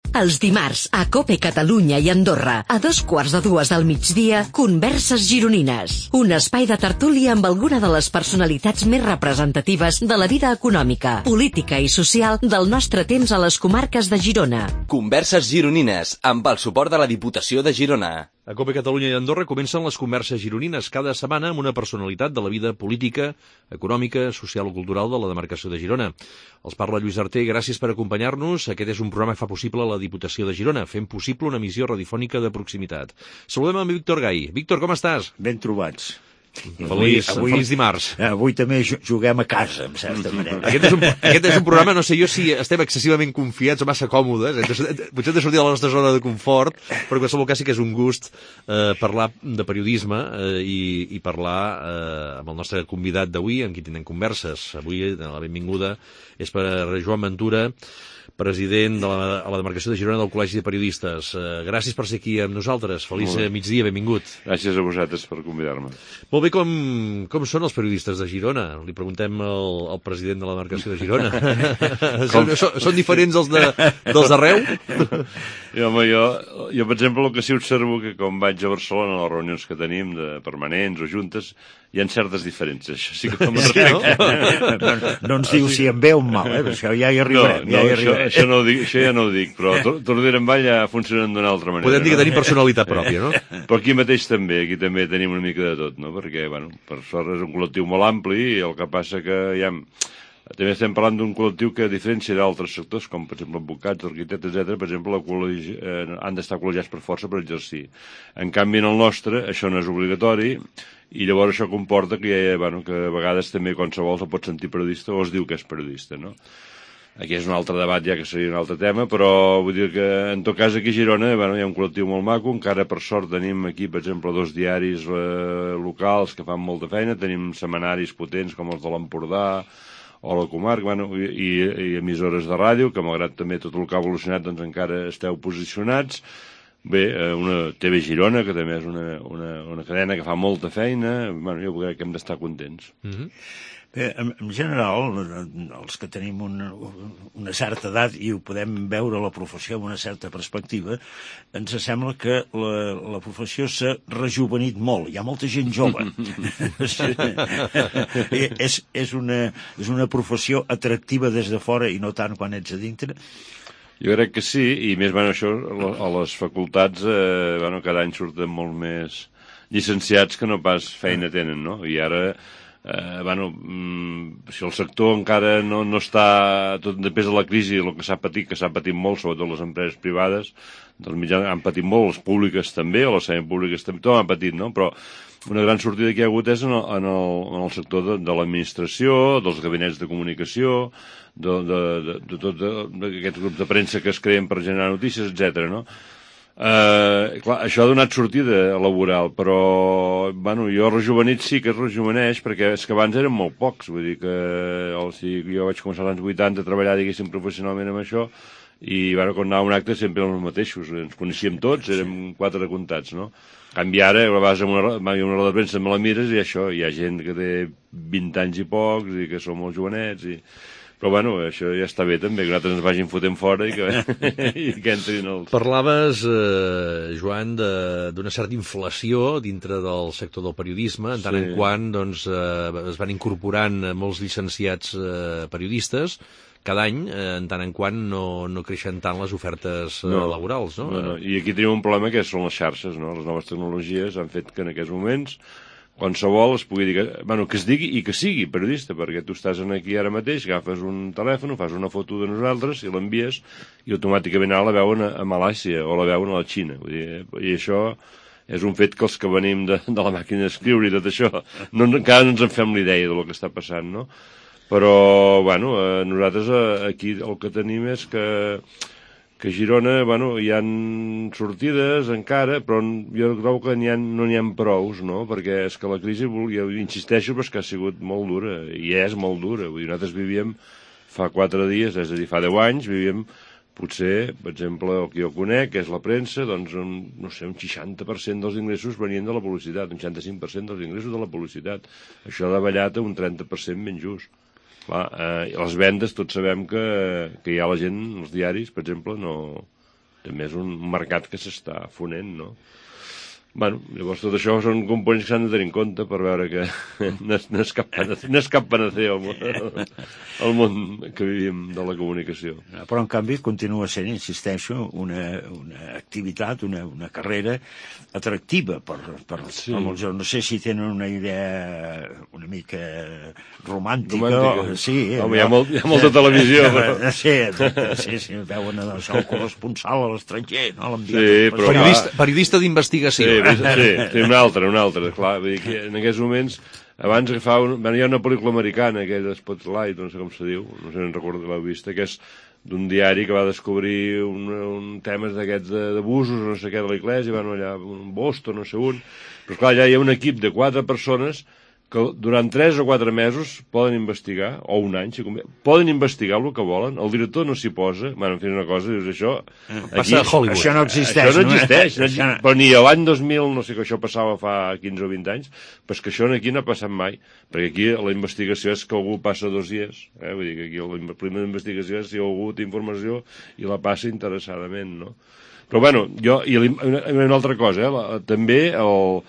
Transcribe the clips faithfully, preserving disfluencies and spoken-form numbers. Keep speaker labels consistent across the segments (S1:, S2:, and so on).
S1: Els dimarts, a COPE Catalunya i Andorra, a dos quarts de dues del migdia, Converses Gironines. Un espai de tertúlia amb alguna de les personalitats més representatives de la vida econòmica, política i social del nostre temps a les comarques de Girona.
S2: Converses Gironines, amb el suport de la Diputació de Girona.
S3: A COPE Catalunya i Andorra comencen les Converses Gironines cada setmana amb una personalitat de la vida política, econòmica, social o cultural de la demarcació de Girona. Els parla Lluís Arter, gràcies per acompanyar-nos. Aquest és un programa que fa possible la Diputació de Girona, fent possible una emissió radiofònica de proximitat. Saludem amb Víctor Gai. Víctor, com estàs?
S4: Ben trobats.
S3: Feliç, avui, feliç dimarts.
S4: Avui també juguem a casa, en certa manera.
S3: Aquest és, un, aquest és un programa, no sé jo si estem excessivament confiats o massa còmodes. Potser hem de sortir de la nostra zona de confort, però en qualsevol cas sí que és un gust eh, parlar de periodisme eh, i, i parlar eh, amb el nostre convidat d'avui, amb qui tindrem converses. Avui la benvinguda és per a Joan Ventura, president de la, a la demarcació de Girona del Col·legi de Periodistes. Uh, gràcies per ser aquí amb nosaltres. Feliç migdia, benvingut.
S5: Gràcies a vosaltres per convidar-me.
S3: Molt bé, com, com són els periodistes de Girona? Li preguntem al, al president de la demarcació de Girona. són, són, són diferents els de, dels d'arreu?
S5: I, home, jo, jo, per exemple, el que sí observo que quan vaig a Barcelona a les reunions que tenim de permanents o juntes, hi ha certes diferències. Això sí que no
S4: sí, no? no, no ens diu si em veu mal, eh? Això ja hi arribarem.
S5: No, no,
S4: ja hi
S5: això, això, no ho dic, això ja no ho dic, però Tordera en Vall ja funcionen d'una altra manera.
S3: Podem dir que
S5: no?
S3: tenim personalitat pròpia, no?
S5: Però aquí mateix també, aquí també tenim una mica de tot, no? Perquè, bueno, per sort és un col·lectiu molt ampli i el que passa que ja... També estem parlant d'un col·lectiu que, a diferència d'altres sectors, com per exemple advocats, arquitectes, etcètera, per exemple, col·legi, eh, han d'estar col·legiats per força per exercir. En canvi, en el nostre, això no és obligatori, i llavors això comporta que, ja, bueno, que a vegades també qualsevol se pot sentir periodista o es diu que és periodista, no? Aquí és un altre debat ja que seria un altre tema, però vull dir que en tot cas aquí a Girona bueno, hi ha un col·lectiu molt maco, encara per sort tenim aquí, per exemple, dos diaris eh, locals que fan molta feina, tenim setmanaris potents com els de l'Empordà o la comarca, bueno, i, i, i emissores de ràdio, que malgrat també tot el que ha evolucionat doncs encara esteu posicionats. Bé, una T V Girona, que també és una, una, una cadena que fa molta feina, bueno, jo crec que hem d'estar contents.
S4: Mm-hmm. Bé, en, en general, els que tenim una, una certa edat i ho podem veure la professió amb una certa perspectiva, ens sembla que la, la professió s'ha rejuvenit molt. Hi ha molta gent jove. és, és, una, és una professió atractiva des de fora i no tant quan ets a dintre.
S5: Jo crec que sí, i més, bueno, això, a les facultats, eh, bueno, cada any surten molt més llicenciats que no pas feina tenen, no? I ara, eh, bueno, mm, si el sector encara no, no està, tot després de la crisi, el que s'ha patit, que s'ha patit molt, sobretot les empreses privades, dels mitjans han patit molt, les públiques també, o les semipúbliques també, tot han patit, no? Però una gran sortida que hi ha hagut és en el, en el, en el sector de, de l'administració, dels gabinets de comunicació, de, de, de, de tot d'aquests grups de premsa que es creen per generar notícies, etcètera, no? Eh, clar, això ha donat sortida laboral, però bueno, jo rejuvenit sí que es rejuveneix, perquè és que abans eren molt pocs, vull dir que o sigui, jo vaig començar als anys vuitanta a treballar, diguéssim, professionalment amb això, i bueno, quan anava a un acte sempre eren els mateixos, ens coneixíem tots, érem quatre comptats, no? En canvi ara, vas a una, una roda de premsa, me la mires i això, hi ha gent que té vint anys i pocs i que són molt jovenets i... Però bueno, això ja està bé també, que nosaltres ens vagin fotent fora i que, i que entrin els...
S3: Parlaves, eh, Joan, d'una certa inflació dintre del sector del periodisme, en tant sí. en quant doncs, eh, es van incorporant molts llicenciats eh, periodistes, cada any, eh, en tant en quant no, no creixen tant les ofertes eh, no, laborals, no?
S5: no, no? I aquí tenim un problema que són les xarxes, no? Les noves tecnologies han fet que en aquests moments qualsevol es pugui dir que, bueno, que es digui i que sigui periodista, perquè tu estàs aquí ara mateix, agafes un telèfon, fas una foto de nosaltres i l'envies i automàticament ara la veuen a, a Malàisia o la veuen a la Xina. Vull dir, i això és un fet que els que venim de, de la màquina d'escriure i tot això, no, encara no ens en fem l'idea del que està passant, no? Però, bueno, eh, nosaltres eh, aquí el que tenim és que que a Girona, bueno, hi ha sortides encara, però jo crec que n'hi ha, no n'hi ha prous, no? Perquè és que la crisi, jo insisteixo, però és que ha sigut molt dura, i és molt dura. Vull dir, nosaltres vivíem fa quatre dies, és a dir, fa deu anys, vivíem potser, per exemple, el que jo conec, que és la premsa, doncs, un, no sé, un seixanta per cent dels ingressos venien de la publicitat, un seixanta-cinc per cent dels ingressos de la publicitat. Això ha davallat a un trenta per cent ben just. Clar, eh, les vendes tots sabem que, que hi ha la gent, els diaris, per exemple, no, també és un mercat que s'està fonent, no? Bueno, llavors tot això són components que s'han de tenir en compte per veure que no és, no és cap panacea, no és cap panacea el món, el món que vivim de la comunicació.
S4: Però, en canvi, continua sent, insisteixo, una, una activitat, una, una carrera atractiva per, per, sí. per molts. No sé si tenen una idea una mica romàntica. romàntica. O, sí,
S5: Home, hi ha, molt, hi ha molta televisió. Però...
S4: Sí, sí, sí, veuen això, el corresponsal a l'estranger, no?
S5: Sí, però...
S3: Periodista, periodista d'investigació.
S5: Sí, sí, sí, un altre, un altre, clar. Vull dir que en aquests moments, abans agafava... Un, hi ha una pel·lícula americana, aquella Spotlight, no sé com se diu, no sé si en recordo que l'heu vista, que és d'un diari que va descobrir un, un temes d'aquests d'abusos, no sé què, de l'Església, van allà a Boston, no sé on... Però clar, allà hi ha un equip de quatre persones que durant tres o quatre mesos poden investigar, o un any, si convé, poden investigar el que volen, el director no s'hi posa, bueno, en fi, una cosa, dius, això...
S3: Aquí, a Hollywood.
S4: Això no existeix.
S5: Això no existeix, no, no, però ni l'any dos mil, no sé que això passava fa quinze o vint anys, però és que això aquí no ha passat mai, perquè aquí la investigació és que algú passa dos dies, eh? Vull dir que aquí la primera investigació és si algú té informació i la passa interessadament, no? Però, bueno, jo, i una, una altra cosa, eh? La, també el...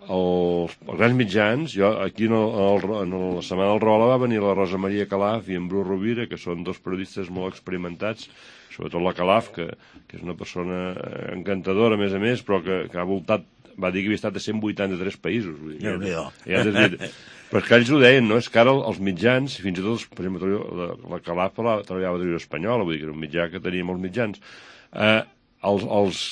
S5: Els, els grans mitjans, jo aquí en, el, en la Setmana del Rola va venir la Rosa Maria Calaf i en Bru Rovira, que són dos periodistes molt experimentats, sobretot la Calaf, que, que és una persona encantadora, a més a més, però que, que ha voltat, va dir que havia estat a cent vuitanta-tres països. Vull dir, ja, ja, ja, però és que ells ho deien, no? És que ara els mitjans, fins i tot, per exemple, la, la Calaf la, treballava a Televisió Espanyola, vull dir que era un mitjà que tenia molts mitjans. Eh, els... els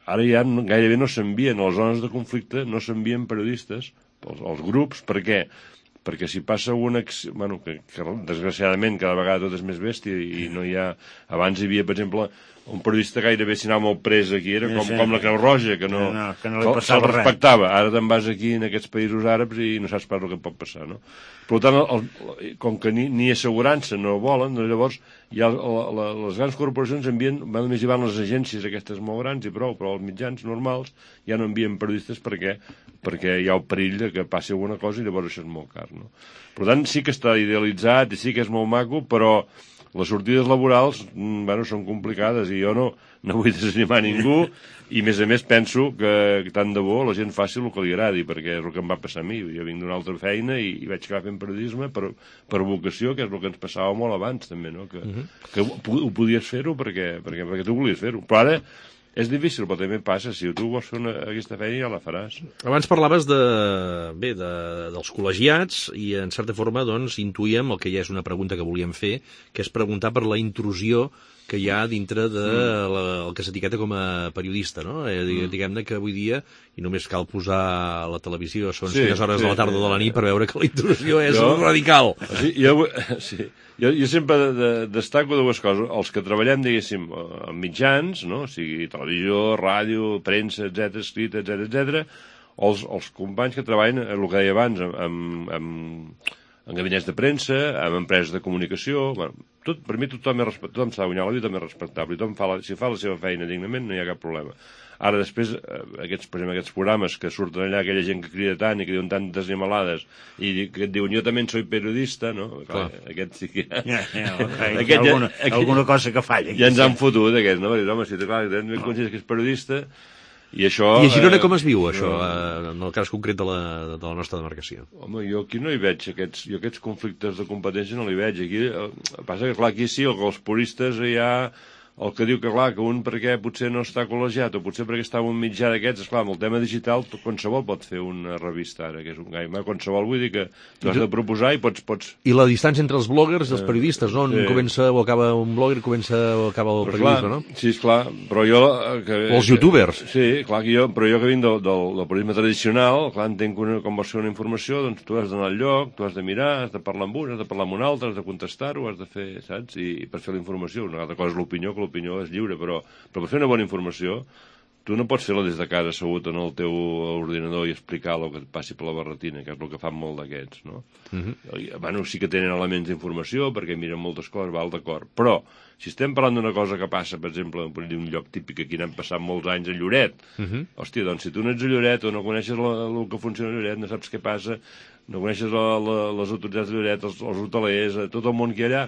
S5: Ara ja gairebé no s'envien, a les zones de conflicte no s'envien periodistes als, als grups. Per què? Perquè si passa una... Bueno, que, que desgraciadament cada vegada tot és més bèstia i no hi ha... Abans hi havia, per exemple, un periodista gairebé si anava molt pres aquí, era com, sí, sí. com la Creu Roja, que no, no, que no li passava res. Respectava. Ara te'n vas aquí en aquests països àrabs i no saps pas el que pot passar, no? Per tant, el, el, com que ni, ni assegurança no volen, doncs llavors ja la, la, les grans corporacions envien, només hi van les agències aquestes molt grans i prou, però els mitjans normals ja no envien periodistes perquè, perquè hi ha el perill de que passi alguna cosa i llavors això és molt car, no? Per tant, sí que està idealitzat i sí que és molt maco, però les sortides laborals, bueno, són complicades i jo no, no vull desanimar ningú i, a més a més, penso que, que tant de bo la gent faci el que li agradi, perquè és el que em va passar a mi. Jo vinc d'una altra feina i, i vaig acabar fent periodisme per, per vocació, que és el que ens passava molt abans, també, no? Que, uh-huh. que ho, ho podies fer-ho perquè, perquè, perquè tu volies fer-ho. Però ara és difícil, però també passa. Si tu vols fer una, aquesta feina ja la faràs.
S3: Abans parlaves de, bé, de, dels col·legiats i, en certa forma, doncs, intuïem el que ja és una pregunta que volíem fer, que és preguntar per la intrusió que hi ha dintre de la, el que s'etiqueta com a periodista, no? Eh, diguem-ne que avui dia, i només cal posar a la televisió a segons sí, quines hores sí, de la tarda o de la nit per veure que la intrusió és jo, radical.
S5: Sí, jo, sí. Jo, jo sempre de, de, destaco dues coses. Els que treballem, diguéssim, en mitjans, no? O sigui, televisió, ràdio, premsa, etcètera, escrita, etcètera, etcètera, o els, els companys que treballen, el que deia abans, amb, amb, en gabinets de premsa, amb empreses de comunicació. Bueno, tot, per mi tothom, és, tothom s'ha de guanyar la vida, tothom és respectable, tothom fa la, si fa la seva feina dignament no hi ha cap problema. Ara després, aquests, per exemple, aquests programes que surten allà, aquella gent que crida tant i que diuen tantes animalades i que et diuen jo també soy periodista, no? Clar, aquest sí que...
S4: Ja, ja, okay. aquest, alguna, aquest, alguna cosa que falla.
S5: Ja ens han fotut, aquests, no? Perquè, home, si clar, tens ben consciència que és periodista i això...
S3: I a Girona com es viu, això, no, en el cas concret de la, de la nostra demarcació?
S5: Home, jo aquí no hi veig aquests, jo aquests conflictes de competència no li veig. Aquí, passa que, clar, aquí sí, els puristes ja... El que diu que, clar, que un perquè potser no està col·legiat o potser perquè està en un mitjà d'aquests, esclar, amb el tema digital qualsevol pot fer una revista ara, que és un gaima, qualsevol, vull dir que tu has de proposar i pots... pots...
S3: I la distància entre els bloggers i els periodistes, no? Sí. Comença o acaba un blogger, comença o acaba el però periodisme,
S5: clar,
S3: no?
S5: Sí, esclar, però jo... Que,
S3: o els youtubers.
S5: Que, sí, clar, que jo, però jo que vinc del, del, del periodisme tradicional, clar, entenc que una, com vols fer una informació, doncs tu has d'anar al lloc, tu has de mirar, has de parlar amb un, has de parlar amb un altre, has de contestar-ho, has de fer, saps? I, i per fer la informació. Una altra cosa és l'opinió, que l'opinió és lliure, però Però, però per fer una bona informació tu no pots fer-la des de casa assegut en el teu ordinador i explicar el que et passi per la barretina, que és el que fan molt d'aquests, no? Uh-huh. Bueno, sí que tenen elements d'informació perquè miren moltes coses, val, d'acord, però si estem parlant d'una cosa que passa, per exemple, en un lloc típic aquí n'han passat molts anys a Lloret, uh-huh. hòstia, doncs si tu no ets a Lloret o no coneixes la, el que funciona a Lloret, no saps què passa, no coneixes la, la, les autoritats de Lloret, els, els hotelers, tot el món que hi ha allà,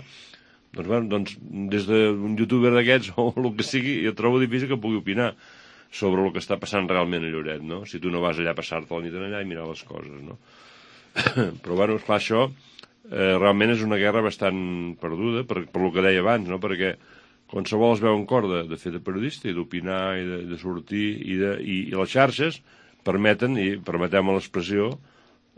S5: Doncs, bueno, doncs des d'un youtuber d'aquests o el que sigui, jo trobo difícil que pugui opinar sobre el que està passant realment a Lloret, no? Si tu no vas allà a passar-te la nit allà i mirar les coses, no? Però, bueno, esclar, això eh, realment és una guerra bastant perduda, per, per lo que deia abans, no? Perquè qualsevol es veu en cor de, de fer de periodista i d'opinar i de, de sortir i, de, i, i les xarxes permeten, i permetem l'expressió,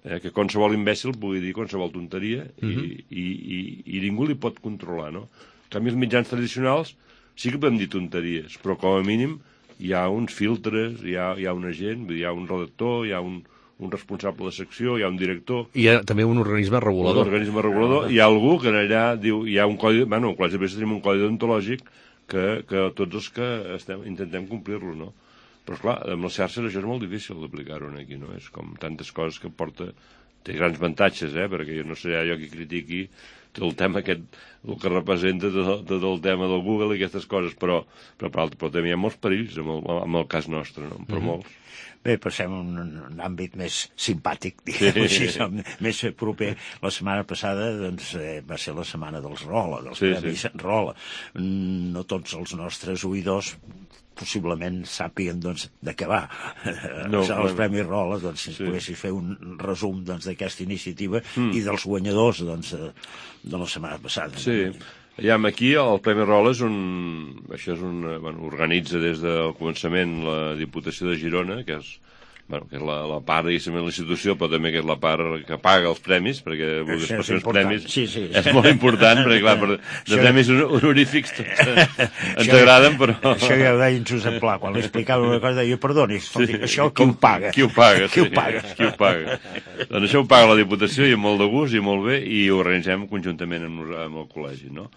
S5: eh, que qualsevol imbècil pugui dir qualsevol tonteria i, uh-huh. i, i, i ningú li pot controlar, no? En canvi, els mitjans tradicionals sí que podem dir tonteries, però com a mínim hi ha uns filtres, hi ha, hi ha una gent, hi ha un redactor, hi ha un, un responsable de secció, hi ha un director...
S3: Hi ha també un organisme regulador.
S5: Un organisme regulador. Hi ha algú que allà diu... Hi ha un codi... Bueno, al Col·legi de Periodistes tenim un codi deontològic que, que tots els que estem, intentem complir-lo, no? Però, esclar, amb les xarxes això és molt difícil d'aplicar-ho aquí, no? És com tantes coses que porta... Té grans avantatges, eh? Perquè jo no seré jo qui critiqui tot el tema aquest, el que representa tot, tot el tema del Google i aquestes coses, però, però, però, però també hi ha molts perills amb el, amb el cas nostre, no? Però mm-hmm. molts.
S4: Bé, passem a un, un àmbit més simpàtic, diguem-ho sí. així, més proper. La setmana passada doncs, eh, va ser la setmana dels Rola, dels
S5: sí,
S4: premis
S5: sí.
S4: Rola. No tots els nostres oïdors possiblement sàpiguen doncs, de què va. No, els bueno. Premis Rola, doncs, si sí. poguessis fer un resum doncs, d'aquesta iniciativa mm. i dels guanyadors doncs, de la setmana passada.
S5: Sí. Ja, aquí el Premi Rola és un... Això és un... Bueno, organitza des del començament la Diputació de Girona, que és, bueno, que és la, la part, diguéssim, de la institució, però també que és la part que paga els premis, perquè les persones premis
S4: sí, sí.
S5: és molt important, perquè, clar, per, de premis honorífics tots ens agraden, però...
S4: Això ja ho deia en Josep Pla, quan li explicava una cosa, deia, perdoni, sí, això qui ho paga?
S5: Qui ho paga,
S4: qui
S5: sí.
S4: Ho paga?
S5: Qui ho paga? Doncs això ho paga la Diputació i amb molt de gust i molt bé, i ho organitzem conjuntament amb, amb el col·legi, no?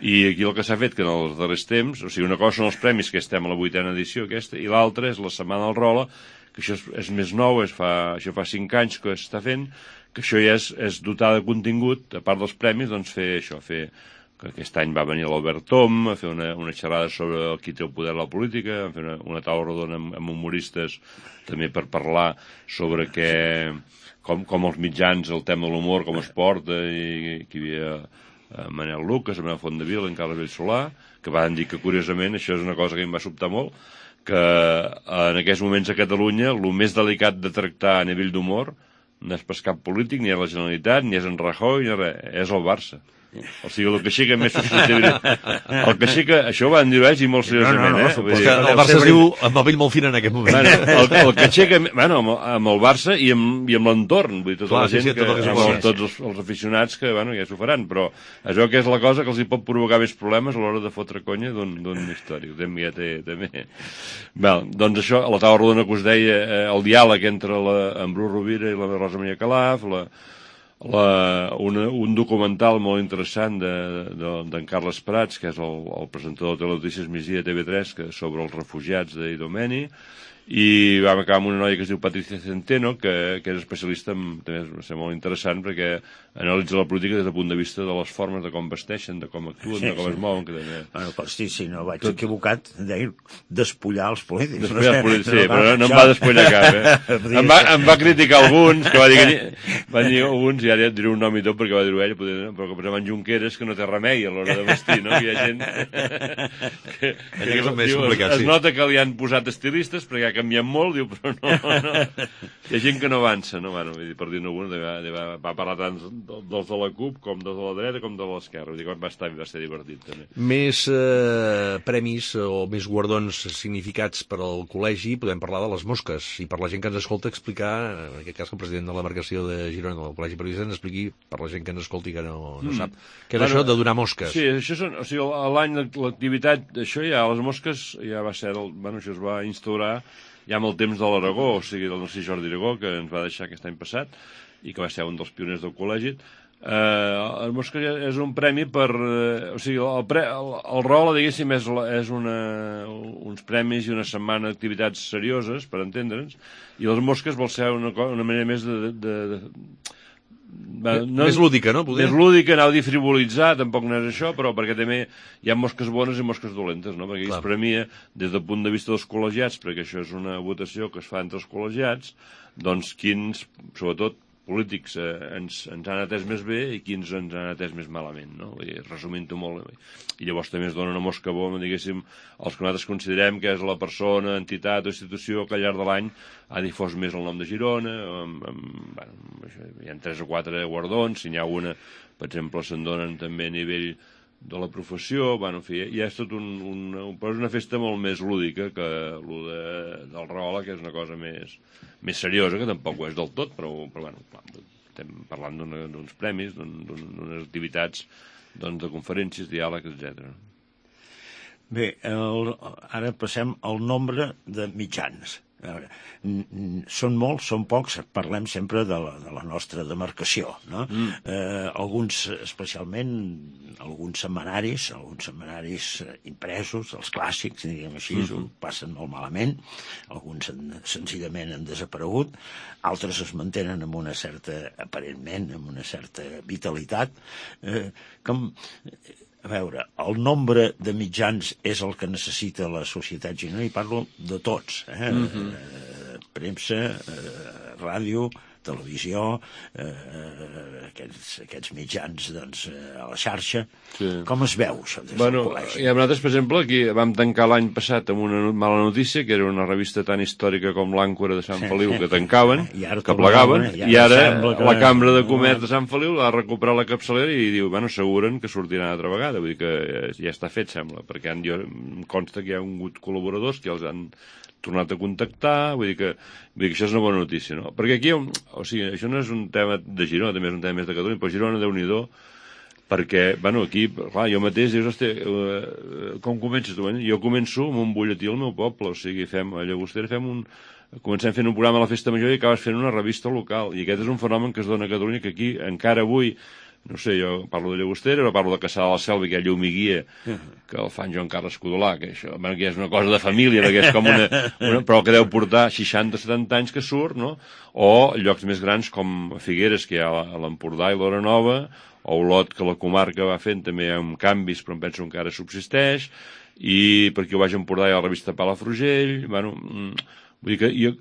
S5: I aquí el que s'ha fet, que en els darrers temps, o sigui, una cosa són els premis, que estem a la vuitena edició aquesta, i l'altra és la Setmana del Rola, que això és, és més nou, és fa, això fa cinc anys que s'està fent, que això ja és, és dotar de contingut, a part dels premis, doncs fer això, fer, que aquest any va venir l'Albert Tom a fer una, una xerrada sobre qui té el poder de la política, a fer una, una taula rodona amb, amb humoristes, també per parlar sobre què, com, com els mitjans, el tema de l'humor, com es porta, i que hi havia Manel Lucas, Manel Fondevila, en Carles Bellsolà, que van dir que, curiosament, això és una cosa que em va sobtar molt, que en aquests moments a Catalunya el més delicat de tractar a nivell d'humor no és pas cap polític, ni és la Generalitat, ni és en Rajoy, ni res, és el Barça. O sigui, el que aixeca més susceptibilitat... El que aixeca... Això ho van dir ells i molt seriosament,
S3: no, no, no,
S5: eh?
S3: Vull dir, el Barça es diu amb el vell molt fin en aquest moment.
S5: Bueno, el, el que aixeca... Bueno, amb, amb el Barça i amb, i amb l'entorn. Vull dir, tota
S3: Clar,
S5: la gent,
S3: sí, sí,
S5: que,
S3: tot el que
S5: amb el, tots els, els aficionats que, bueno, ja s'ho faran, però es veu que és la cosa que els hi pot provocar més problemes a l'hora de fotre conya d'un històric. També ja té... També. Bé, doncs això, a la taula rodona que us deia, eh, el diàleg entre la, en Bru Rovira i la Rosa Maria Calaf, la... La, una, un documental molt interessant d'en de, de, Carles Prats, que és el, el presentador de Telenotícies Migdia de T V tres, que, sobre els refugiats d'Idomeni, i vam acabar amb una noia que es diu Patricia Centeno, que, que és especialista en, també va ser molt interessant perquè analitza la política des del punt de vista de les formes de com vesteixen, de com actuen, sí, de com sí. es mouen, que també...
S4: Bueno, però sí, si no vaig Tot... equivocat, deia despullar els polítics.
S5: Despullar els polítics, sí, però no, no em va despullar cap, eh? em, va, em va criticar alguns, que va dir que... Va dir alguns, i ara et diré un nom i tot perquè va dir-ho ell, però que posem en Junqueras, que no té remei a l'hora de vestir, no? Que hi ha gent... que, que, que
S3: més
S5: diu,
S3: complicat,
S5: es,
S3: sí.
S5: es nota que li han posat estilistes perquè ha canviat molt, diu, però no, no. Hi ha gent que no avança, no? Bueno, per dir-ne alguna, va, va parlar tant dels de la CUP com dels de la dreta com de l'esquerra, vull dir que va estar, va ser divertit també.
S3: Més eh, premis o més guardons significats per al col·legi, podem parlar de les mosques, i per la gent que ens escolta explicar, en aquest cas que el president de la demarcació de Girona del Col·legi Periodista ens expliqui per la gent que ens escolti que no, no sap, què és bueno, això de donar mosques.
S5: Sí, això són, o sigui, l'any l'activitat, això ja, les mosques ja va ser, el, bueno, això es va instaurar ja amb el temps de l'Aragó, o sigui, del Narcís Jordi Aragó, que ens va deixar aquest any passat, i que va ser un dels pioners del col·legi. Eh, el Mosques és un premi per... Eh, o sigui, el, pre, el, el Rola, diguéssim, és, és una, uns premis i una setmana d'activitats serioses, per entendre'ns, i els Mosques vol ser una, una manera més de... de, de
S3: Va, no, més lúdica, no?
S5: Poder? Més lúdica, anau a frivolitzar, tampoc no és això, però perquè també hi ha mosques bones i mosques dolentes, no? Perquè es premia des del punt de vista dels col·legiats, perquè això és una votació que es fa entre els col·legiats, doncs quins, sobretot, polítics eh, ens, ens han atès més bé i quins ens han atès més malament, no? I, resumint-ho molt. I llavors també es dona una mosca bona, diguéssim, els que nosaltres considerem que és la persona, entitat o institució que al llarg de l'any ha difós més el nom de Girona, amb, amb, bueno, hi ha tres o quatre guardons, si n'hi ha una, per exemple, se'n donen també a nivell de la professió, bueno, en fi, ja és tot un, un, però és una festa molt més lúdica que el de, del Rahola, que és una cosa més, més seriosa, que tampoc ho és del tot, però, però bueno, clar, estem parlant d'uns premis, d'unes activitats doncs, de conferències, diàlegs, etcètera.
S4: Bé, el, ara passem al nombre de mitjans. A veure, són molts, són pocs, parlem sempre de la, de la nostra demarcació, no? Mm. Eh, alguns, especialment, alguns setmanaris, alguns setmanaris impresos, els clàssics, diguem així, mm-hmm. ho passen molt malament, alguns en, senzillament han desaparegut, altres es mantenen amb una certa, aparentment, amb una certa vitalitat, eh, com... A veure, el nombre de mitjans és el que necessita la societat gironina, i parlo de tots, eh? Mm-hmm. eh premsa, eh, ràdio, televisió, eh, aquests, aquests mitjans doncs, a la xarxa. Sí. Com es veu, això, des
S5: bueno,
S4: del col·legi?
S5: I a nosaltres, per exemple, aquí vam tancar l'any passat amb una mala notícia, que era una revista tan històrica com l'Àncora de Sant Feliu, que tancaven, que plegaven, i ara, i ara que... la Cambra de Comerç de Sant Feliu ha recuperat la capçalera i diu, bueno, asseguren que sortiran altra vegada, vull dir que ja està fet, sembla, perquè han, jo, em consta que hi ha hagut col·laboradors que els han tornat a contactar, vull dir que, vull dir que això és una bona notícia, no? Perquè aquí, o sigui, això no és un tema de Girona, també és un tema més de Catalunya, però Girona, Déu-n'hi-do, perquè, bueno, aquí, clar, jo mateix, dius, hosti, eh, com comences tu? Jo començo amb un butlletí al meu poble, o sigui, fem, a Llagostera fem un... Comencem fent un programa a la Festa Major i acabes fent una revista local, i aquest és un fenomen que es dona a Catalunya, que aquí, encara avui, no sé, jo parlo de Llagostera, però parlo de Caçà de la Selva, que hi ha Llum i Guia, que el fan Joan Carles Codolà, que això, bueno, que és una cosa de família, perquè és com una, una... però que deu portar seixanta setanta anys que surt, no? O llocs més grans com Figueres, que hi ha a l'Empordà i l'Hora Nova, o Olot, que la comarca va fent també amb canvis, però em penso que encara subsisteix, i per aquí ho vaig a Empordà i a la revista Palafrugell, bueno, vull dir que jo...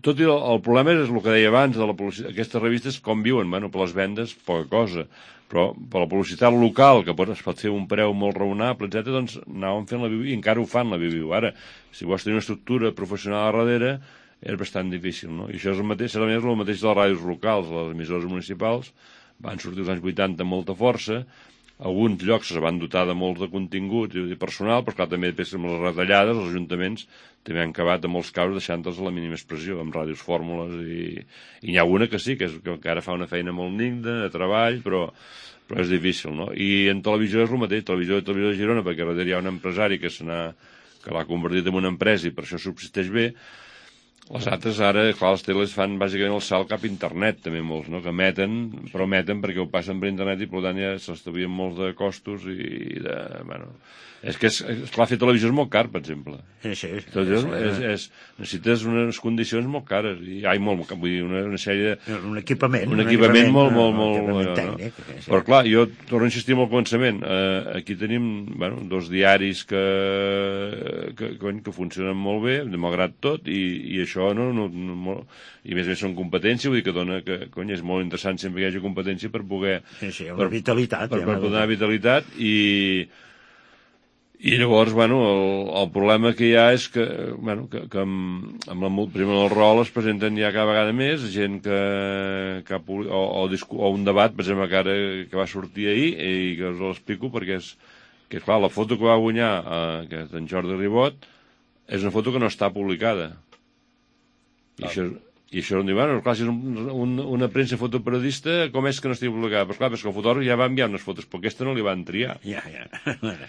S5: Tot i el, el problema és el que deia abans de la publicitat. Aquestes revistes com viuen? Bueno, per les vendes, poca cosa. Però per la publicitat local, que pot, es pot fer un preu molt raonable, etcètera, doncs anàvem fent la Viviu i encara ho fan la Viviu. Ara, si vols tenir una estructura professional a darrere, és bastant difícil, no? I això és el mateix, serà el mateix de les ràdios locals, les emissores municipals, van sortir als anys vuitanta amb molta força, alguns llocs es van dotar de molts de contingut i personal, però clar, també després amb les retallades, els ajuntaments també han acabat en molts casos deixant-los a la mínima expressió, amb ràdios fórmules, i, i n'hi ha una que sí, que, és, que encara fa una feina molt digna, de treball, però, però és difícil, no? I en televisió és el mateix, televisió i televisió de Girona, perquè darrere hi ha un empresari que se n'ha, que l'ha convertit en una empresa i per això subsisteix bé. Les altres ara, clar, les teles fan bàsicament el salt cap a internet, també molts, no? Que emeten, però emeten perquè ho passen per internet i per tant ja s'estalvien molts de costos i de... Bueno, és que, és, és clar, fer televisió és molt car, per exemple.
S4: Sí, sí.
S5: Tot és, és, és, necessites unes condicions molt cares, i hi ha molt, vull dir, una, una sèrie de...
S4: Un equipament.
S5: Un, un equipament, equipament molt, molt, molt... molt tècnic, no? Sí. Però clar, jo torno a insistir molt al començament. Eh, aquí tenim, bueno, dos diaris que, que, que, que funcionen molt bé, malgrat tot, i, i això no, no, no molt, i més a més són competència, vull dir que dona que, cony, és molt interessant sempre que hi hagi competència per poder...
S4: Sí, sí, una per, vitalitat.
S5: Per, per, per donar vitalitat, i... I llavors, bueno, el, el problema que hi ha és que, bueno, que, que amb, amb la primer del rol es presenten ja cada vegada més gent que, que ha, o, o, o un debat, per exemple, que ara que va sortir ahir, i que us l'explico perquè és, que clar, la foto que va guanyar, eh, que és d'en Jordi Ribot, és una foto que no està publicada. I ah. això... I això em diu, bueno, clar, si és un, un, una premsa fotoperiodista, com és que no estigui publicada? Però clar, perquè el fotògraf ja va enviar unes fotos, però aquesta no li van triar.
S4: Ja, ja.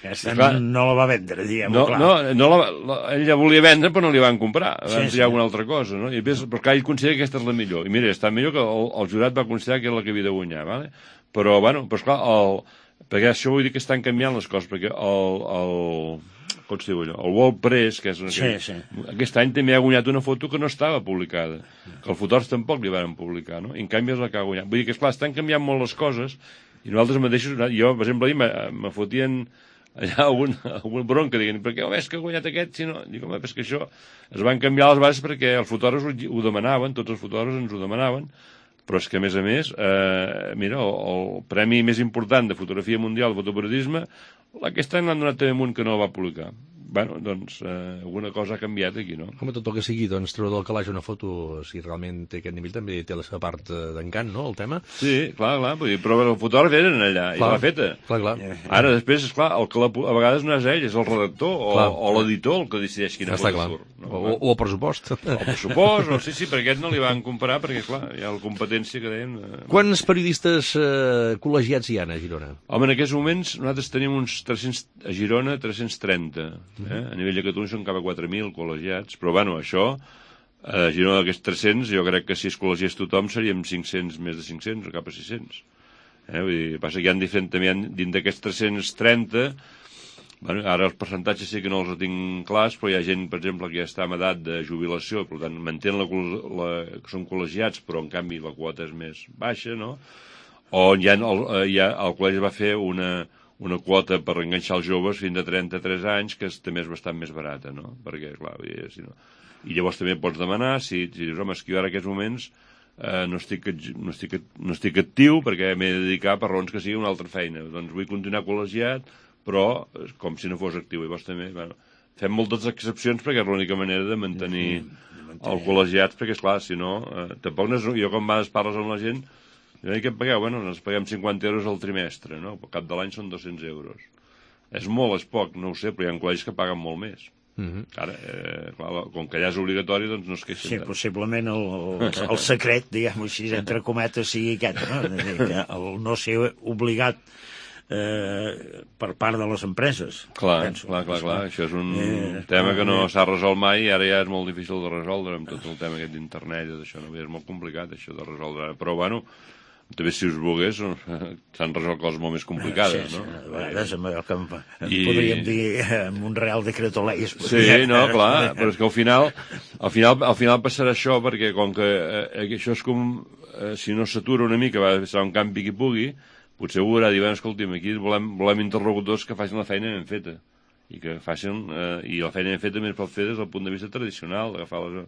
S4: Aquesta clar, no la va vendre, diguem-ho,
S5: no,
S4: clar.
S5: No, no la, la, ell ja volia vendre, però no li van comprar. Van sí, triar sí. Una altra cosa, no? I més, però clar, ell considera que aquesta és la millor. I mira, està millor que el, el jurat va considerar que era la que havia de guanyar, vale? Però, bueno, però esclar, el, perquè això vull dir que estan canviant les coses, perquè el... el com es diu allò? El World Press, que és una,
S4: sí, sí.
S5: Aquest any també ha guanyat una foto que no estava publicada, que els fotògrafs tampoc li van publicar, no? I en canvi és la que ha guanyat. Vull dir que, esclar, estan canviant molt les coses, i nosaltres mateixos, jo, per exemple, ahir me, me fotien allà algun, algun bronca, dient, per què oh, és que ha guanyat aquest, si no? Dic, home, és que això es van canviar les bases perquè els fotògrafs ho, ho demanaven, tots els fotògrafs ens ho demanaven, però és que, a més a més, eh, mira, el, el premi més important de fotografia mundial de fotoperiodisme, aquest any l'han donat també un que no el va publicar. Bueno, doncs, eh, alguna cosa ha canviat aquí, no?
S3: Com tot el que sigui, doncs, treure del calaix una foto, si realment té aquest nivell, també té la seva part d'encant, no?, el tema.
S5: Sí, clar, clar, vull dir, però el fotògraf eren allà, clar, i l'ha feta.
S3: Clar, clar.
S5: Ara, després, esclar, el que la, a vegades no és ell, és el redactor o, o l'editor el que decideix quina
S3: Està
S5: foto
S3: clar.
S5: surt. No?
S3: O, o el pressupost.
S5: O el pressupost, o sí, sí, perquè aquest no li van comparar, perquè, clar, hi ha la competència que dèiem... Eh...
S3: Quants periodistes eh, col·legiats hi ha a Girona?
S5: Home, en aquests moments nosaltres tenim uns tres-cents, a Girona tres-cents trenta, eh? A nivell de Catalunya són cap a quatre mil col·legiats, però bueno, això, a Girona d'aquests tres-cents, jo crec que si es col·legiés tothom seríem cinc-cents, més de cinc-cents, o cap a sis-cents. Eh? Vull dir, passa que hi ha diferent, també hi ha, dins d'aquests tres-cents trenta, bueno, ara els percentatges sí que no els tinc clars, però hi ha gent, per exemple, que ja està en edat de jubilació, per tant, mantén la, la, que són col·legiats, però en canvi la quota és més baixa, no? O hi ha, el, hi ha, el col·legi va fer una... una quota per enganxar els joves fins a trenta-tres anys, que és, també és bastant més barata, no? Perquè, clar, si no... I llavors també pots demanar, si, si dius, home, és que jo ara en aquests moments eh, no, estic, no, estic, no estic actiu perquè m'he de dedicar per raons que sigui una altra feina. Doncs vull continuar col·legiat, però com si no fos actiu. Llavors també, bueno, fem moltes excepcions perquè és l'única manera de mantenir el col·legiat, perquè, esclar, si no, eh, tampoc no és... Jo, quan vas parles amb la gent, i què pagueu? Bueno, ens paguem cinquanta euros al trimestre, no? Al cap de l'any són dos-cents euros. És molt, és poc, no ho sé, però hi ha col·legis que paguen molt més. Mm-hmm. Ara, eh, clar, com que allà és obligatori, doncs no es queixen
S4: sí, tant. Sí, possiblement el, el, el secret, diguem-ho així, entre cometes, sigui aquest, no? El no ser obligat eh, per part de les empreses.
S5: Clar,
S4: penso.
S5: clar, clar, clar. Això és un eh, tema que no s'ha resolt mai i ara ja és molt difícil de resoldre amb tot el tema aquest d'internet i d'això. No? És molt complicat, això de resoldre. Però, bueno, també si us volgués s'han resolt coses molt més complicades,
S4: sí,
S5: no?
S4: Sí, a vegades amb el que I... podríem dir amb un real decreto ley.
S5: Sí, no, clar, però és que al final al final, al final passarà això perquè com que eh, això és com eh, si no s'atura una mica va ser un campi qui pugui, potser ho haurà dir, bueno, escolti'm, aquí volem, volem interlocutors que facin la feina ben feta i que facin, eh, i la feina ben feta més pot fer des del punt de vista tradicional, agafar les,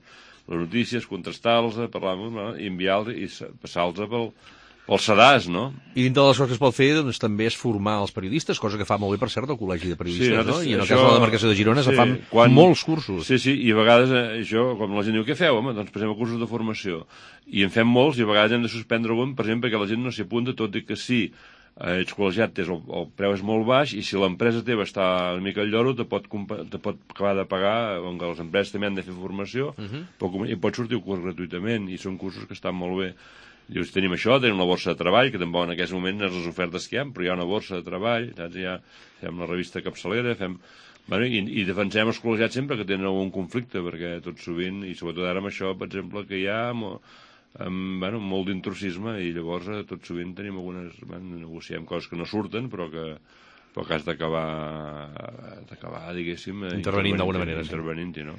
S5: les notícies, contrastar-les, parlar-los i enviar-los i passar-los pel els sedars, no?
S3: I dintre de les coses que es pot fer, doncs, també és formar els periodistes, cosa que fa molt bé, per cert, el Col·legi de Periodistes, sí, no? I en el això... cas de la demarcació de Girona sí, se fan quan... molts cursos.
S5: Sí, sí, i a vegades eh, això, com la gent diu, què feu? Home, doncs passem a cursos de formació. I en fem molts, i a vegades hem de suspendre un, per exemple, perquè la gent no s'hi apunta, tot i que sí, eh, ets col·legiat, el, el preu és molt baix, i si l'empresa teva està una mica al lloro, te pot, te pot acabar de pagar, on les empreses també han de fer formació, uh-huh. però, i pot sortir un curs gratuïtament, i són cursos que estan molt bé. Dius, tenim això, tenim una borsa de treball, que tampoc en aquest moment no és les ofertes que hi ha, però hi ha una borsa de treball, saps? Ja fem la revista capçalera, fem... Bueno, i, i defensem els col·legiats sempre que tenen algun conflicte, perquè tot sovint, i sobretot ara amb això, per exemple, que hi ha amb, amb, bueno, molt d'intrusisme, i llavors tot sovint tenim algunes... Bueno, negociem coses que no surten, però que, però que has d'acabar, d'acabar, diguéssim...
S3: Intervenint d'alguna manera.
S5: Intervenint-hi, no?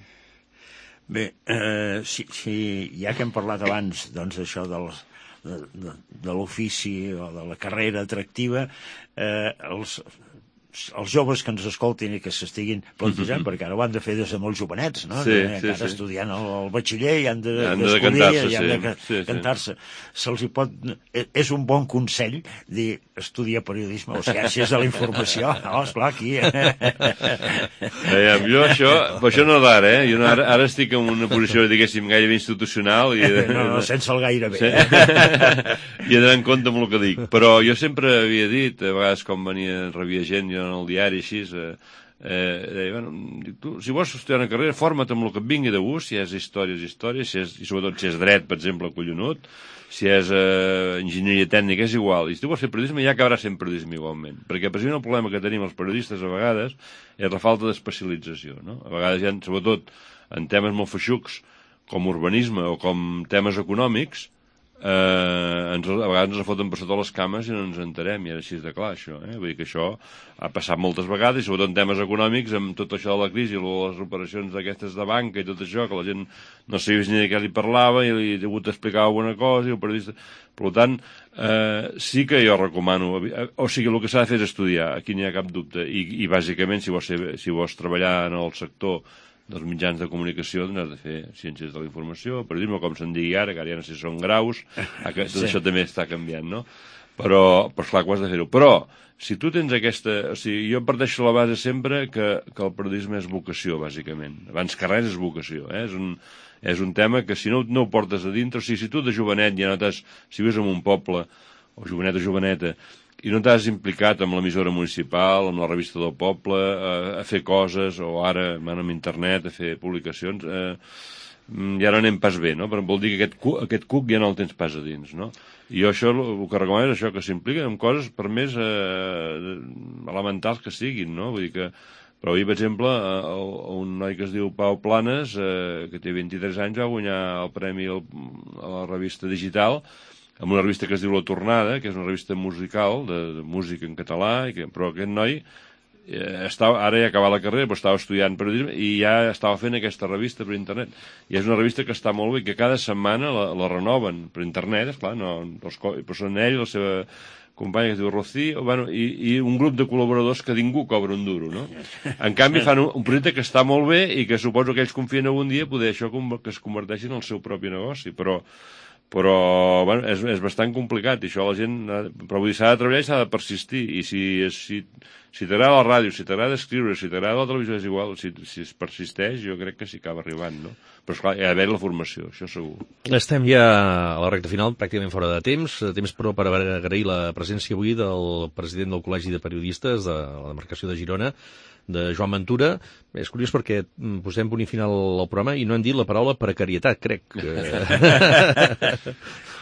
S4: Bé, eh, si, si ja que hem parlat abans, doncs, això dels... de, de, de l'ofici o de la carrera atractiva, eh, els, els joves que ens escoltin i que s'estiguin plantejant, mm-hmm. perquè ara ho han de fer des de molt jovenets, no?
S5: Sí,
S4: que,
S5: sí,
S4: encara
S5: sí.
S4: estudiant el, el batxiller i han de,
S5: han de cantar-se,
S4: i han de ca
S5: sí,
S4: cantar-se. Sí. Se'ls hi pot... És un bon consell dir estudia periodisme o ciències de la informació. No, esclar, aquí...
S5: Veiem, jo això, però això no d'ara, eh? Jo no, ara, ara estic en una posició, diguéssim, gairebé institucional. I de,
S4: no, no, sense el gairebé.
S5: Sí. I he d'anar en compte amb el que dic. Però jo sempre havia dit, a vegades com venia, rebia gent, jo en el diari, així, eh, eh, deia, bueno, dic, tu, si vols estudiar una carrera, forma't amb el que et vingui de gust, si és història, és història, si és, i sobretot si és dret, per exemple, collonut, si és eh, enginyeria tècnica, és igual. I si tu vols fer periodisme, ja acabaràs sent periodisme igualment. Perquè precisament el problema que tenim els periodistes a vegades és la falta d'especialització, no? A vegades hi ha, sobretot, en temes molt feixucs, com urbanisme o com temes econòmics, eh, ens, a vegades ens foten per sota les cames i no ens enterem, i era així de clar, això. Eh? Vull dir que això ha passat moltes vegades, i sobretot en temes econòmics, amb tot això de la crisi, les operacions d'aquestes de banca i tot això, que la gent no sabia ni de què li parlava i li he hagut d'explicar alguna cosa, i el periodista... Per tant, eh, sí que jo recomano... O sigui, el que s'ha de fer és estudiar, aquí n'hi ha cap dubte, i, i bàsicament, si vols, ser, si vols treballar en el sector dels mitjans de comunicació, doncs has de fer ciències de la informació, periodisme, com se'n digui ara, que ara ja no sé si són graus, tot sí. Això també està canviant, no? Però, però esclar, ho has de fer-ho. Però, si tu tens aquesta... O sigui, jo parteixo la base sempre que, que el periodisme és vocació, bàsicament. Abans que res és vocació, eh? És un, és un tema que si no, no ho portes a dintre, o sigui, si tu de jovenet ja no t'has... Si vius en un poble, o jovenet o joveneta, i no t'has implicat amb l'emissora municipal, amb la revista del poble, a, a fer coses, o ara amb internet, a fer publicacions, eh, ja no anem pas bé, no? Però vol dir que aquest cuc, aquest cuc ja no el tens pas a dins, no? I jo això, el que recomano és això, que s'impliquen en coses per més eh, elementals que siguin, no? Vull dir que... Però ahir, per exemple, un noi que es diu Pau Planes, eh, que té vint-i-tres anys, va guanyar el premi a la revista digital, amb una revista que es diu La Tornada, que és una revista musical, de, de música en català, i que, però aquest noi eh, estava, ara ja ha acabat la carrera, però estava estudiant periodisme i ja estava fent aquesta revista per internet. I és una revista que està molt bé, que cada setmana la, la renoven per internet, esclar, no, els, però són ell, la seva companya que es diu Rocío, bueno, i, i un grup de col·laboradors que ningú cobra un duro, no? En canvi fan un, un projecte que està molt bé i que suposo que ells confien algun dia poder això que es converteixi en el seu propi negoci, però però bueno, és, és bastant complicat i això la gent, però vull dir, s'ha de treballar i s'ha de persistir, i si, si, si t'agrada la ràdio, si t'agrada escriure, si t'agrada la televisió, és igual, si, si es persisteix jo crec que s'hi acaba arribant, no? Però esclar, hi ha d'haver la formació, això segur.
S3: Estem ja a la recta final, pràcticament fora de temps, temps però per agrair la presència avui del president del Col·legi de Periodistes de la demarcació de Girona, de Joan Ventura. És curiós perquè posem punt i final al programa i no hem dit la paraula precarietat, crec.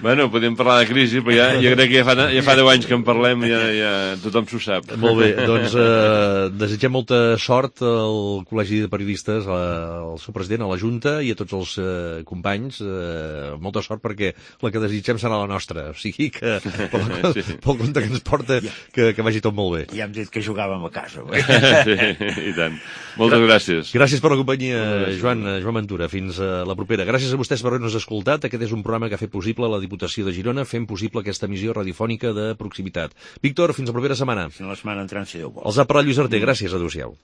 S5: Bueno, podem parlar de crisi, però ja, jo crec que ja fa, ja fa deu anys que en parlem i ja, ja tothom s'ho sap.
S3: Molt bé, doncs eh, desitgem molta sort al Col·legi de Periodistes, al seu president, a la Junta i a tots els eh, companys. Eh, molta sort perquè la que desitgem serà la nostra. O sigui que, pel, sí. pel compte que ens porta, que, que vagi tot molt bé.
S4: Ja hem dit que jugàvem a casa.
S5: Sí, i tant. Moltes gràcies.
S3: Gràcies per la companyia, Joan, Joan Ventura. Fins a la propera. Gràcies a vostès per haver-nos escoltat. Aquest és un programa que ha fet possible la Diputació de Girona, fent possible aquesta emissió radiofònica de proximitat. Víctor, fins la propera setmana.
S4: Fins la setmana entrant, si Déu vol.
S3: Els ha parlat Lluís Arter. Gràcies, adéu-siau.